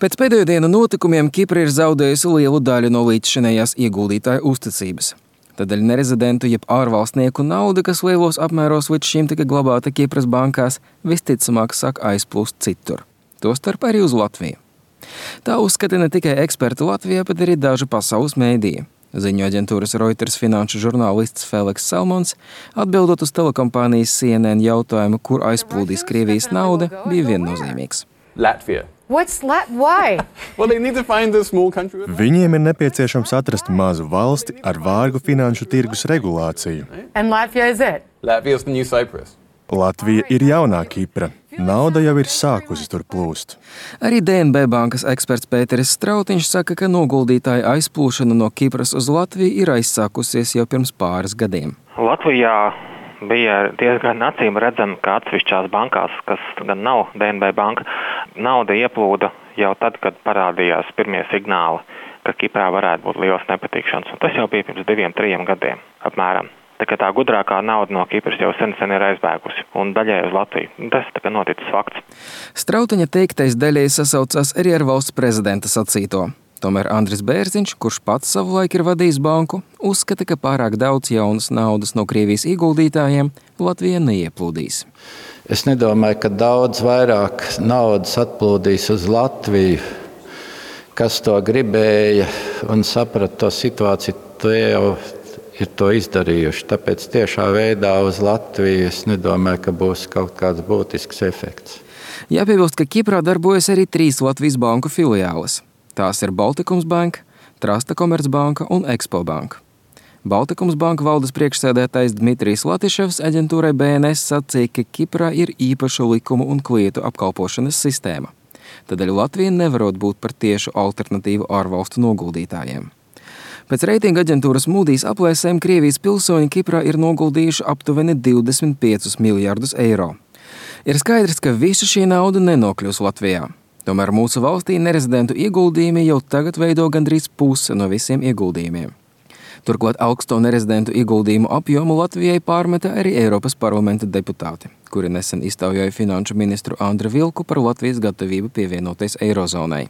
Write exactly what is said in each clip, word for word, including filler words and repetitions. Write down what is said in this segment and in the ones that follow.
Pēc pēdējo dienu notikumiem Kipra ir zaudējusi lielu daļu no līdzšinējās ieguldītāju uzticības. Tādēļ nerezidentu jeb ārvalstnieku nauda, kas lielos apmēros līdz šim tika glabāta Kipras bankās, visticamāk sāk aizplūst citur. Tostarp arī uz Latviju. Tā uzskata ne tikai eksperti Latvijā, bet arī daži pasaules mēdīji. Ziņu aģentūras Reuters finanšu žurnālists Feliks Salmons, atbildot uz telekompānijas C N N jautājumu, kur aizplūdīs Krievijas nauda, bija viennozīmīgs. Latvija. What's Lat- why? Well, they need to find a small country with... Viņiem ir nepieciešams atrast mazu valsti ar vārgu finanšu tirgus regulāciju. And Latvia is it? Latvia is the new Cyprus. Latvija ir jaunā Kipra. Nauda jau ir sākusi tur plūst. Arī D N B bankas eksperts Pēteris Strautiņš saka, ka noguldītāju aizplūšana no Kipras uz Latviju ir aizsākusies jau pirms pāris gadiem. Latvijā bija diezgan acīm redzami, ka atsevišķās bankās, kas gan nav D N B banka, nauda ieplūda jau tad, kad parādījās pirmie signāli, ka Kiprā varētu būt liels nepatikšanas. Un tas jau bija pirms diviem, trijiem gadiem apmēram. Tā kā tā gudrākā nauda no Kipras jau sen sen ir aizbēgusi un daļai uz Latviju. Tas tā kā noticis fakts. Strautiņa teiktais daļai sasaucās arī ar valsts prezidenta sacīto. Tomēr Andris Bērziņš, kurš pats savulaik ir vadījis banku, uzskata, ka pārāk daudz jaunas naudas no Krievijas ieguldītājiem Latvija neieplūdīs. Es nedomāju, ka daudz vairāk naudas atplūdīs uz Latviju, kas to gribēja un saprata to situāciju, to jau ir to izdarījuši. Tāpēc tiešā veidā uz Latviju es nedomāju, ka būs kaut kāds būtisks efekts. Jāpiebilst, ka Kiprā darbojas arī trīs Latvijas banku filiāles. Tās ir Baltikums Banka, Trasta Komercbanka un Expo Banka. Baltikums Banka valdes priekšsēdētājs Dmitrijs Latiševs aģentūrai B N S sacīja, ka Kiprā ir īpaša likumu un klietu apkalpošanas sistēma. Tādēļ Latvija nevarot būt par tiešu alternatīvu ārvalstu noguldītājiem. Pēc reitinga aģentūras Moody's aplēsēm Krievijas pilsoņi Kiprā ir noguldījuši aptuveni divdesmit piecus miljardus eiro. Ir skaidrs, ka visa šī nauda nenokļūs Latvijā. Tomēr mūsu valstī nerezidentu ieguldījumi jau tagad veido gandrīz puse no visiem ieguldījumiem. Turklāt augsto nerezidentu ieguldījumu apjomu Latvijai pārmeta arī Eiropas parlamenta deputāti, kuri nesen iztaujāja finanšu ministru Andru Vilku par Latvijas gatavību pievienoties Eirozonai.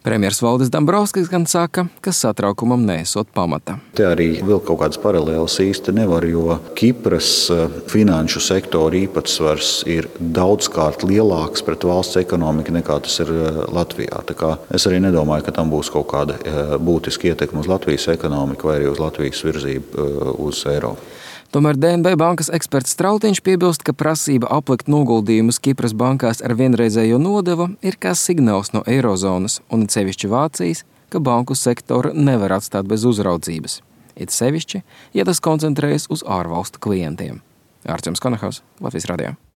Premjers Valdis Dombrovskis gan saka, ka satraukumam neesot pamata. Te arī vēl kaut kādas paralēlas īsti nevar, jo Kipras finanšu sektora īpatsvars ir daudzkārt lielāks pret valsts ekonomiku nekā tas ir Latvijā. Tā kā es arī nedomāju, ka tam būs kaut kāda būtiska ietekme uz Latvijas ekonomiku vai arī uz Latvijas virzību uz Eiropu. Tomēr D N B bankas eksperts Strautiņš piebilst, ka prasība aplikt noguldījumus Kipras bankās ar vienreizējo nodevu ir kā signāls no Eirozonas un it sevišķi Vācijas, ka banku sektoru nevar atstāt bez uzraudzības. It sevišķi, ja tas koncentrējas uz ārvalstu klientiem. Ārķems Konahaus, Latvijas radio.